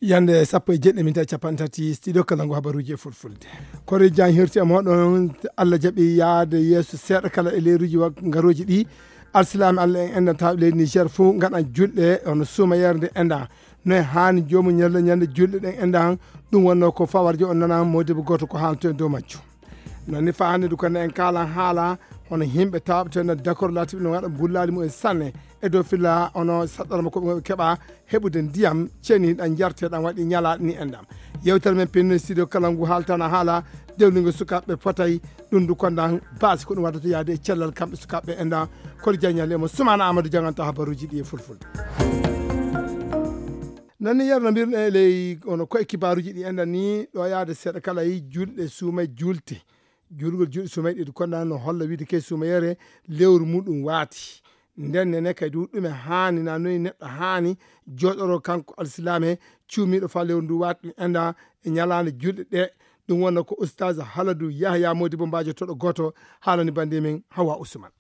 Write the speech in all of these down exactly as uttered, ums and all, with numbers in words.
Yande sappo e jeɗɗi minti capanɗe tati, studio kala ngu habaruuji e fulfulde. Koreeji jan hirti e mooɗon, Allah jaɓi yaade yeeso seeɗa kala e leeruuji wa-, ngarooji ɗi. Alsilaame Allah en enɗan tawɓe leydi Niger fof ngaɗan julɗe, hono suuma yeere nde enɗan. No e haani joomum ñalla ñande julɗe ɗen enɗan, ɗum wonno ko fawarjo on nana moodibo gooto ko haalto e dow majjum. Nani fa hannde du ko en kaalan haala, hono yimɓe tawɓe ten dakor laatiɓe no waɗa bullaali mumen sanne e dow filla, hono saɗɗorma ko ɓe keɓa heɓude ndiyam ceniɗam njarteɗam waɗi ñalaaɗe ni enɗam. Yewtere men pinno studio kala ngu haaltana haala dewlingo sukaaɓe potay ɗum du kondan baasi ko ɗum waɗata yaade e cellal kamɓe sukaaɓe enɗam. Kono jaññal e mo Sumana Amadou janganta habaruuji ɗi e fulfulde. Nani yar no mbirɗen e ley ono koye kibaaruuji ɗi enɗan ni ɗo yaade seeɗa kala yi julɗe suuma e juulte. Juulgol julɗe suuma e ɗiɗi kondan no holla wiide ke suuma yere lewru muɗum waati. Nden nene kay du ɗume haani na noyi neɗɗo haani jooɗoro kanko alsilaame cuumiiɗo fa lewru ndu waati ɗum enɗan e ñalaande julɗe ɗe. Ɗum wonno ko Oustaz Haladu Yahya Modibo Mbajo toɗo gooto haalani bandi men Hawa Ousmane.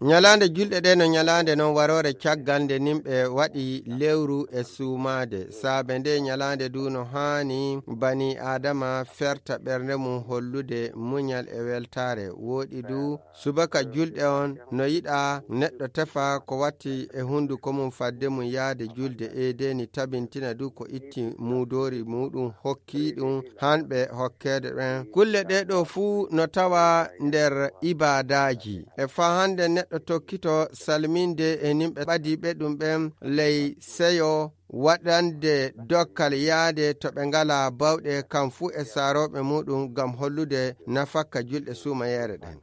Ñalaande julɗe ɗe no ñalaande non waroore caggal nde nimɓe waɗi lewru e suumaade. Saabe nde ñalaande du no haani bani Aadama ferta ɓernde mum hollude muñal e weltaare. Wooɗi du subaka julɗe on no yiɗa neɗɗo tefa ko watti e hunnduko mum fadde mum yaade julde. Eedeni tabintina du ko itti muudoori muɗum hokki ɗum hanɓe hokkeede ɓen. Kulle ɗe ɗo fuu no tawa nder ibaadaaji. E faa hannde neɗɗo tokkito salminde e nimɓe ɓadiiɓe ɗum ɓen ley seyo waɗande dokkal yaade to ɓe ngalaa bawɗe kam fuu e saarooɓe muɗum ngam hollude nafakka julɗe suumayeere ɗen.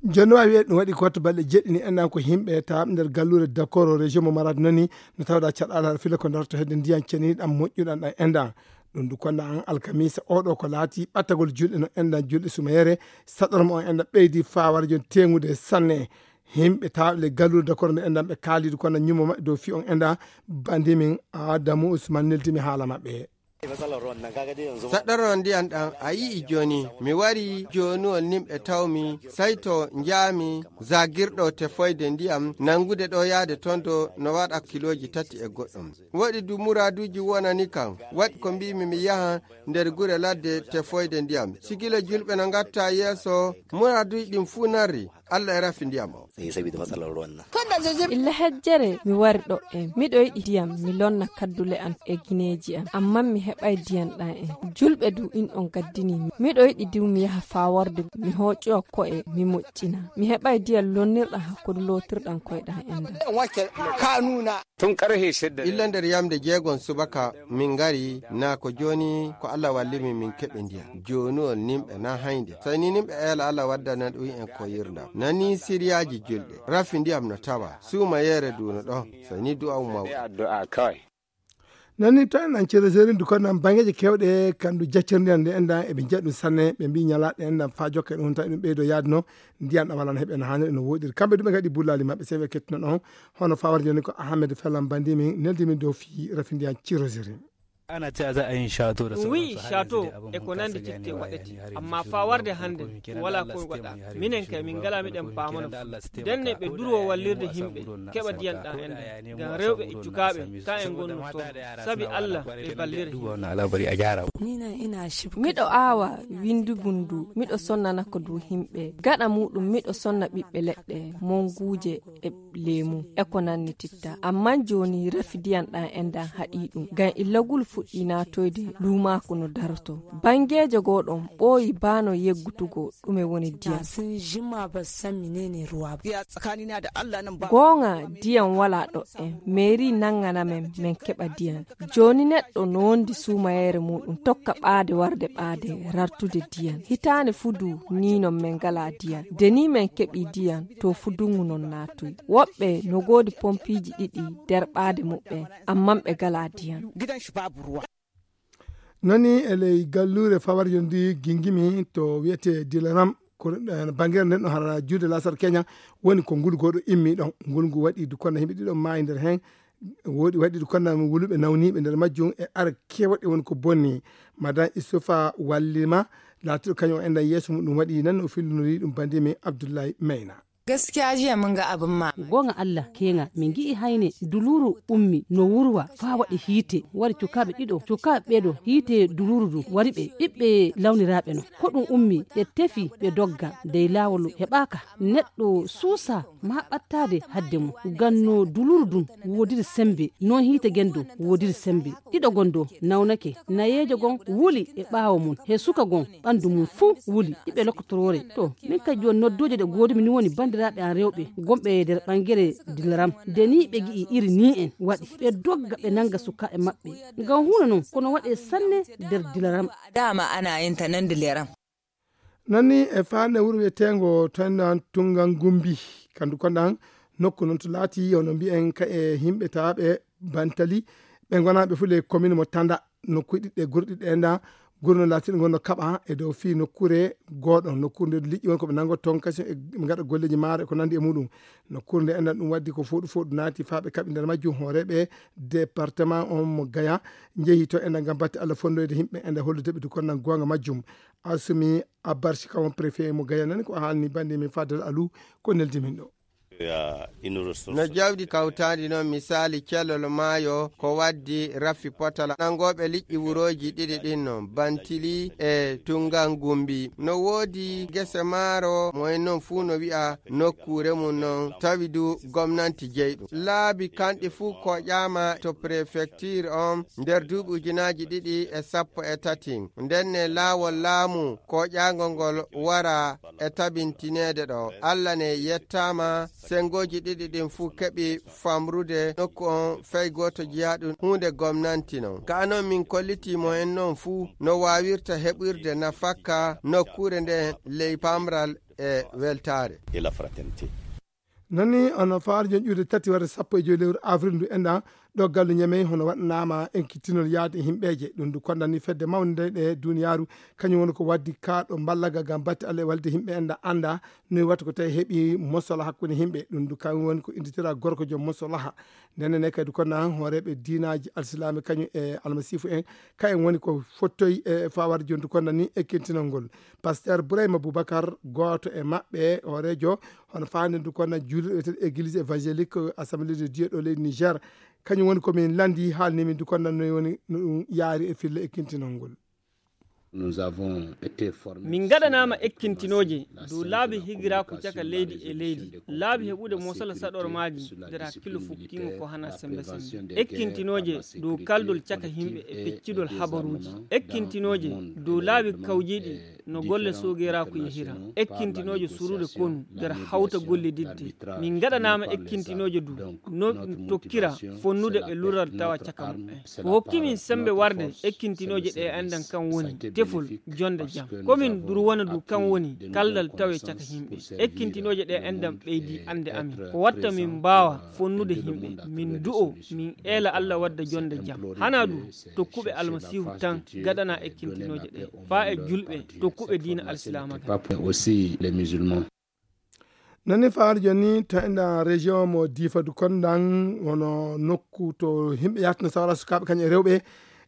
Jooni no waawi wiyeede ɗum waɗi ko wattu balɗe jeɗɗi ni enɗan ko yimɓe tawɓe nder galluure Dakoro région mo Maradi nani no tawɗa caɗaala fila ko darto hedde ndiyan ceniɗan moƴƴuɗan ɗan enɗan. Ɗum du konɗa an alkamisa oɗo ko laati ɓattagol julɗe no enɗan julɗe sumayere saɗorma on enɗan ɓeydi fawara jon teŋude sanne. Yimɓe tawɓe le galluure Dakoro nde enɗan ɓe kaalidu kono ñummo maɓɓe dow fi on enɗan bandi min Adamu Usman neldimi haala maɓɓe. Saɗɗorno ndiyan ɗan a yi'i jooni mi wari joonuwol nimɓe tawmi sayto njaami zagirɗo tefoyde ndiyam nanngude ɗo yaade ton do no waɗa kilooji tati e goɗɗum. Woɗi du muraaduuji wonani kam waɗi ko mbiimi mi yaha nder gure ladde tefoyde ndiyam sikila julɓe no ngatta yeeso muraaduuji ɗin fuu narri. Allah e rafi ndiyam o. Illa hejjere mi wari ɗo en miɗo yiɗi ndiyam mi lonna kaddule an e gineeji an amma mi heɓay ndiyam ɗan en julɓe du in on gaddini mi miɗo yiɗi du mi yaha faa warde mi hooƴoya ko'e mi moƴƴina mi heɓay ndiyam lonnirɗam hakkunde lootirɗam koyɗam en ɗan. Illa nder yamde jeegon subaka min ngari naa ko jooni ko Allah walli min min keɓi ndiyam joonuwol nimɓe naa haynde sey ni nimɓe eela Allah waddana ɗum en ko yirndam nani siriyaaji julɗe rafi ndiyam no tawa suuma yeere du no ɗon sey ni du'aw mawɗo. Nani to en an cereseri du kono nan bangeje kewɗe kandu jaccirndi an nde endan eɓe njiya ɗum sanne ɓe mbi ñalaɗe endan fa jokke ɗum tawi ɗum ɓeydo yaade no ndiyan ɗam alano heɓe no haniri no woɗiri kamɓe duɓe gaɗi bullali maɓɓe sewi kettuno ɗon. Hono fawar joni ko Ahmed Felan bandi min neldi min dow fi rafi ndiyan cirosiri. Ana ceya za a yin shato da sauransu. Wi shato e ko nandi titte waɗete amma fa warde hande wala ko waɗa minen kay min ngala miɗen paamana fu denne ɓe durwo wallirde himɓe keɓa diyan ɗan enɗan ngam rewɓe e cukaaɓe ka en ngonno soodo sabi Allah ɓe ballira. Miɗo aawa windugu ndu miɗo sonnana ko du himɓe gaɗa muɗum miɗo sonna ɓiɓɓe leɗɗe monguuje e leemu e ko nanni titta amma jooni rafi diyan ɗan enɗan haɗi ɗum ngam illagul fuɗɗi natoyde luumaaku no daroto bangeejo goo ɗon ɓooyi baano yeggutugo ɗume woni diyan. Goonga diyan wala ɗo en meeri nangana men men keɓa diyan. Jooni neɗɗo no wondi suumayeere muɗum tokka ɓaade warde ɓaade rartude diyan hitaande fuu du ni non men ngala diyan de ni men keɓi diyan to fuu dungu non naatoyi woɓɓe no goodi pompiiji ɗiɗi nder ɓaade muɓɓen amman ɓe ngala diyan. Nani e ley galluure fawarjo ndi gingimi to wiyete dilaram ko bangere nden ɗo hara juude lasar keña woni ko ngulgooɗo immi ɗon ngulngu waɗi du kono himɓe ɗiɗo maayi nder heen. Woɗi waɗi ɗum konnami wuluɓe nawniiɓe nder majjum e ara kewɗe woni ko bonni. Madan Isufa wallima laatiɗo kañum o enɗan yeeso muɗum waɗi nan o fillunori ɗum bandi min Abdullahi Mayna. Gaskiya jiya mun ga abin ma. Gonga Allah kenga min gi'i hayne duluru ummi no wurwa fa waɗi hiite wari cukaaɓe ɗiɗo cukaaɓe ɓeɗo hiite duluru du wari ɓe ɓiɓɓe lawniraaɓe no ko ɗum ummi ɓe tefi ɓe dogga dey laawol heɓaaka neɗɗo suusa ma ɓattaade hadde mum ganno duluru dun woodiri sembe non hiite gendo woodiri sembe ɗiɗo gon do nawnake nayeejo gon wuli e ɓaawo mum he suka gon ɓanndu mum fuu wuli iɓe lokkotoroore to min kadi jooni nodduuje ɗe goodumi ni woni banndiraaɓe an rewɓe gonɓe e nder ɓangere dilaram nde ni ɓe gi'i iri ni en waɗi ɓe dogga ɓe nannga sukaaɓe maɓɓe ngam huuna noon kono waɗe sanne nder dilaram dama ana yin ta nan dilaram. Nanni e faande wuro wiyeteengo toendan tunngan gumbi kandu kondan nokku noon to laati yono mbiyen ka e yimɓe taaɓe bantali ɓe ngonaaɓe fuu ley commune mo tanda nokkuuji ɗiɗi e gure ɗiɗi ɗe nda gure no laatiiɗe ngonno kaɓa e dow fii nokkuure gooɗo nokkuure nde liƴƴi won ko ɓe nanngo toon kañum e ɓe ngaɗa golleeji maaro e ko nanndi e muɗum nokkuure nde enɗan ɗum waddi ko fooɗu fooɗu naati faa ɓe kaɓi nder majjum hooreeɓe département on mo gaya njehi to enɗan ngam batte allah fonndoyde yimɓe enɗan hollude ɓe du konnan goonga majjum asumi abbarsi kawon préfet mo gaya nani ko haalni bannde min fadal alou ko neldi min ɗo. No jawdi kawtaandi noon misaali cellol maayo ko waddi raffi potala nanngooɓe liƴƴi wurooji ɗiɗi ɗin noon bantili e tunngan gumbi no woodi gese maaro mo en noon fuu no wi'a nokkuure mum noon tawi du gomnanti jeyɗum laabi kanɗi fuu koƴaama to prefecture on nder duuɓi ujunaaji ɗiɗi e sappo e tati ndenne laawol laamu koƴaango ngol wara e tabintineede ɗo allah ne yettaama sengooji ɗiɗi ɗin fuu keɓi famrude nokku on fey gooto jeyaaɗum huunde gomnanti non ka non min kollitii mo en non fuu no waawirta heɓirde nafakka nokkuure nden ley pamral e weltaare. Nani hono faarjo ƴuurde tati warde sappo e joyi lewru avril ndu enɗan ɗo gallu ñamey hono waɗanaama enkittinol yaade e himɓeeje ɗum ndu kondani fedde mawnde nde ɗe duniyaaru kañum woni ko waddi kaaɗo mballaga ngam batte allah e walde himɓe enɗan annda noy watta ko tawi heɓi mosola hakkunde himɓe ɗum ndu kañum woni ko inditira gorko joom mosolaha ndenen ne kadi konna hooreeɓe diinaaji alsilaame kañum e almasiifu en kayen woni ko fottoyi e fawarde jondu konna ni ekkintinol ngol pasteur bourayma boubacar gooto e maɓɓe hooreejo hono faande ndu konna juulirɓe wiyeten église évangélique assemblée de dieu ɗo leydi niger kañum woni komin lanndi haalni min ndu konna noy woni no ɗum yaari e filla ekkintinol ngol. Min ngaɗanaama ekkintinooje dow laabi higiraaku caka leydi e leydi, laabi heɓude mosala saɗormaaji nder hakkillo fukkiingo ko hana sembe sembe, ekkintinooje dow kaldol caka yimɓe e peccitol habaruuji, ekkintinooje dow laabi kawjiiɗi no golle soogeeraaku yahira, ekkintinooje surude konu nder hawta gollididde. Min ngaɗanaama ekkintinooje dow no ɗum tokkira fonnude e lural tawa caka muɓɓen. Ko hokki min semmbe warde ekkintinooje ɗee anndan kan woni tefol, jonnde jam. Ko min durwana du kan woni kaldal tawe caka yimɓe. Ekkintinooje ɗee anndan ɓeydii annde amin. Ko watta min mbaawa fonnude yimɓe, min du'oo, min eela Alla wadda jonnde jam. Hanaa du tokkuɓe Almasiihu tan gaɗanaa ekkintinooje ɗee, faa e julɓe tokkuɓe diina Alsilaama kan. Nani faari joni to enɗan région mo difa du kondan wono nokku to himɓe yahtino sawara sukaɓe kañum e rewɓe.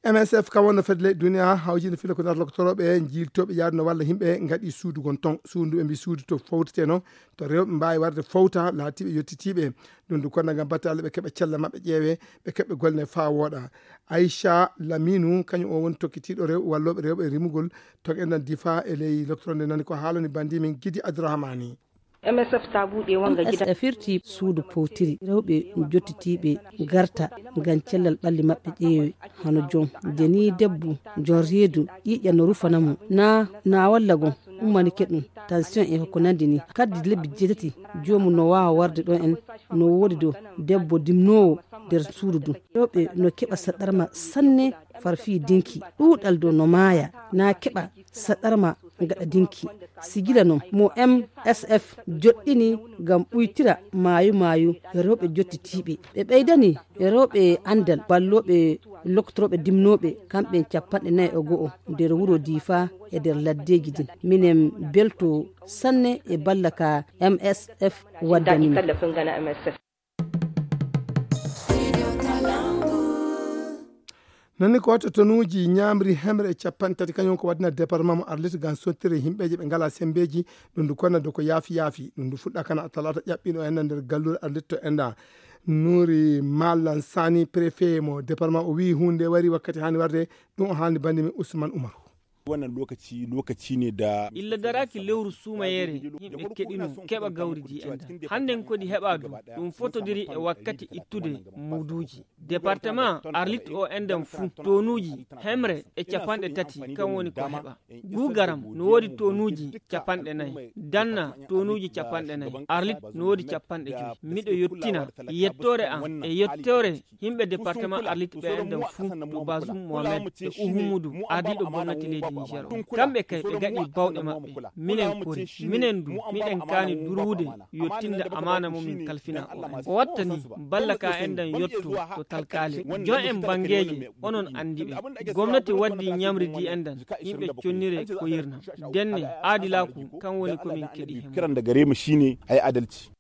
M S F kam wonno fedde leyɗe duniya hawjinde filla ko nata lokotoroɓe jiltoɓe yaduno walla himɓe gaɗi suudu gon ton suudu ɓe mbi suudu to fowtete noon to rewɓe mbawi warde fowta laatiɓe yettitiɓe. Ɗum du konda gam batte allah ɓe keɓa cella mabɓe ƴeewe ɓe keɓɓe golle ne fa wooɗa. Aicha Laminu kañum o woni tokkitiɗo rew walloɓe rewɓe e rimugol to enɗan difa e ley lokotoro nde nani ko haalani bandi min gidi Abdourahmani. M S F tabuɗe wonga gida. M S F firti suudu powtiri rewɓe jottitiiɓe garta ngam cellal ɓalli maɓɓe ƴeewe hano jom jeni debbo jom reedu ƴiiƴa no rufana mo na na walla gon ummanike ɗum tension e ko nandi ni kaddi lebbi jeetati joomu no waawa warde ɗon en no woodi do debbo dimnoowo nder suudu dum rewɓe no keɓa saɗɗarma sanne farfii dinki ɗuuɗal do no maaya na keɓa saɗɗarma gaɗa dinki. Sigila non mo M S F joɗɗini ngam ɓuytira maayo maayo rewɓe jottitiiɓe. Ɓe ɓeydani rewɓe anndal ballooɓe loktorooɓe dimnooɓe kamɓe en cappanɗe nayi e go'o nder wuro Diifa e nder laddeeji din. Minen belto sanne e balla ka M S F waddani min. Nani ko wata tonuuji ñaamri hemre e capanɗe tati, kañum ko waɗna département mo Arlit ngam sottire yimɓeeje ɓe ngalaa semmbeeji. Ɗum ndu konna do ko yaafi yaafi. Ɗum ndu fuɗɗa kana talaata ƴaɓɓiino en nder galluure Arlit to Enda. Nuuri Malan Sani, préfet mo département, o wiyi huunde nde wari wakkati haani warde. Ɗum o haalni banndi men Ousmane Umaru. Wannan lokaci, lokaci ne da illa daraaki lewru suumayeere, yimɓe keɗino keɓa gawri di Enda. Hannden kodi heɓa ɗum, ɗum fotodiri e wakkati ittude muduuji. Département Arlit o Endan fuu, tonuuji hemre e capanɗe tati, kan woni ko heɓa. Guugaram no woodi tonuuji capanɗe nayi, Danna tonuuji capanɗe nayi, Arlit no woodi capanɗe joyi. Miɗo yettina yettoore am e yettoore yimɓe département Arlit ɓe Endan fuu, to Bazum Mohamed e Uhumudu, ardiiɗo gomnati leydi Niger o. Kamɓe kay ɓe gaɗi bawɗe maɓɓe. Minen kori, minen du, miɗen kaani durwude, yottinde amaana mo min kalfina o. O wattani balla ka Endan yotto to talkaale. Jon en bangeeje, onon anndi ɓe. Gomnati waddi ñamri di Endan, yimɓe connire ko yirna. Denne, aadilaaku, kan woni ko min keɗi hemre. Kiran daga Rema shine a yi adalci.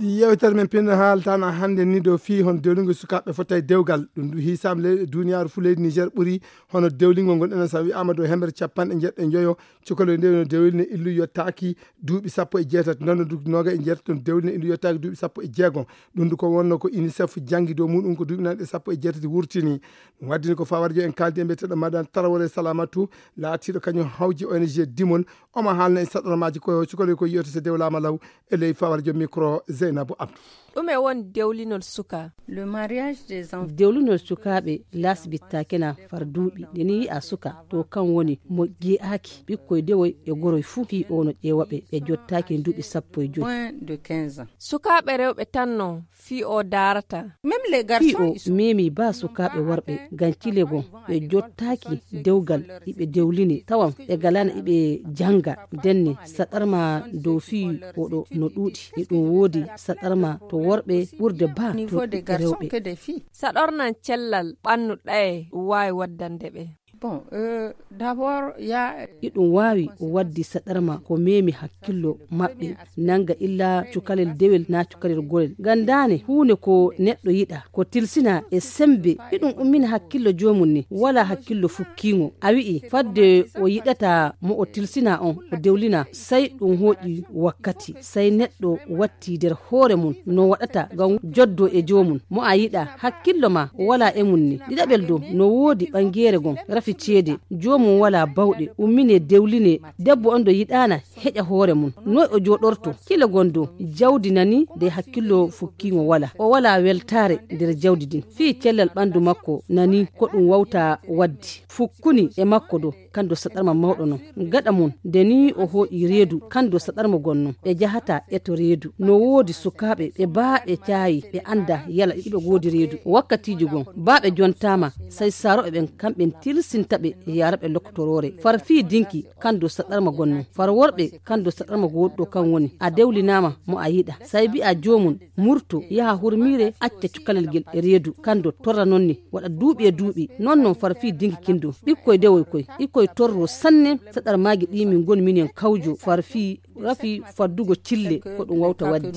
Yewtere men pinno haaltana hannde ni dow fii hon dewlingol sukaaɓe fota e dewgal. Ɗum ɗum hiisaama le-, duniyaaru fuu leydi Niger ɓuri hono dewlingol ngol enen sa wi'aama dow hemre capanɗe jeeɗiɗi e njoyo. Cukalel nde no dewlini illu yottaaki duuɓi sappo e jeetati, noon du noga e jeetati no dewlini illu yottaaki duuɓi sappo e jeego. Ɗum du ko wonno ko UNICEF janngi dow muɗum ko duuɓi nanɗe sappo e jeetati wurtini. Ɗum waddini ko fawarjo en kaaldi e mbiyeteɗo Madan Tarawore Salamatu, laatiiɗo kañum hawji O N G Dimon. Omo haalna en saɗormaaji ko cukalel ko yiyoto so dewlaama law e ley fawarjo micro Zeynabu Abdou. Ɗume woni dewlinol suka? Le mariage des enfants. Dewlinol sukaaɓe laasbittaake na far duuɓi. Nde ni yi'a suka, to kan woni mo jee'aaki ɓikkoy dewoy e goroy fuu, fii o no ƴeewa ɓe, ɓe jottaaki duuɓi sappo e joy. Moins de quinze ans. Sukaaɓe rewɓe tan no fii o daarata. Même les garçons, fii o ils sont memi baa sukaaɓe worɓe, ngam cile goo ɓe jottaaki dewgal iɓe dewline, tawan ɓe galaana iɓe jannga. Denne saɗarma dow fii oɗo no ɗuuɗi. Iɗum woodi saɗarma to worɓe ɓurde baa to ɓiɓɓe rewɓe. Saɗornan cellal ɓannu ɗaye waawi waddande ɓe? Bon, euh, d'abord, ya, iɗum waawi waddi saɗarma ko memi hakkillo maɓɓe, nanga illa cukalel dewel na cukalel gorel. Ngam daane huunde ko neɗɗo yiɗa, ko tilsina e sembe. Iɗum ummina hakkillo joomum ni, wala hakkillo fukkiingo. A wi'i, fadde o yiɗata mo o tilsina on, o dewlina, sai ɗum hooƴi wakkati, sai neɗɗo watti der hoore mum no waɗata ngam joddo e joomum. Mo a yiɗa, hakkillo ma wala e mum ni. Ɗiɗaɓel dow, no woodi ɓangeere gon, rafi ceede, joomum wala bawɗe, ummine dewline, debbo on do yiɗaana heƴa hoore mum. Noy o jooɗorto? Kile gon dow, jawdi nani de hakkillo fukkiingo wala. O wala weltaare der jawdi din. Fii cellal ɓandu makko nani ko ɗum wawta waddi. Fukkuni e makko dow, kando saɗarma mawɗo non. Gaɗa mum, de ni o hooƴi reedu, kando saɗarma gon non. Ɓe jahata e to reedu. No woodi sukaaɓe, ɓe baa ɓe caayi, ɓe anda yala iɓe goodi reedu. Wakkatiiji gon, baa ɓe jontaama, sai saaroɓe ɓen kamɓen tilsinta ɓe yaara ɓe lokkotoroore. Far fii dinki, kando saɗarma gon non. Far worɓe, kando saɗarma gooduɗo kan woni. A dewlinaama mo a yiɗa. Sai bi'a joomum, murto, yaha hurmiire, acca cukalel gel e reedu, kando torra non ni, waɗa duuɓi e duuɓi, non non far fii dingi kindo. Ɓikkoy dewoy koy, ɓikkoy torro sanne, saɗarmaaji ɗi min ngoni minen kawjo, far fii rafi faddugo cille, ko ɗum wawta wadde.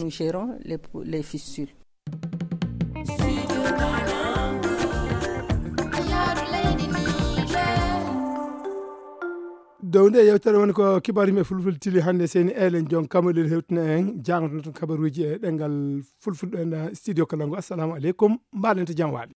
Dow nde yewtere woni ko kibaru yimɓe fulfulde tili hannde, seni Elen Jon Kamalel hewtina en, jangotoo ton kabaruuji e ɗemngal fulfulde ɗo e studio Kalangu. Assalamu aleykum, mbaɗen to jam waali.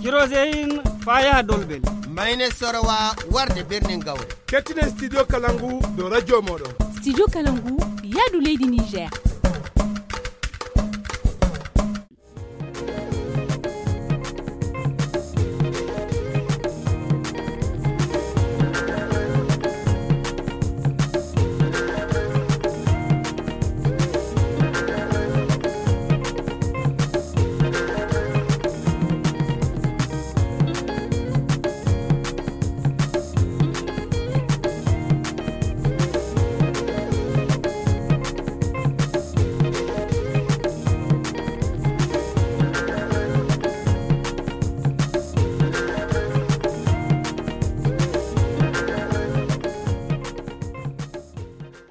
Kiroseyin faya dolbel. Mayne sorowa warde birnin gawre. Kettinen studio Kalangu dow radio moɗon. Studio Kalangu, yaadu leydi Niger.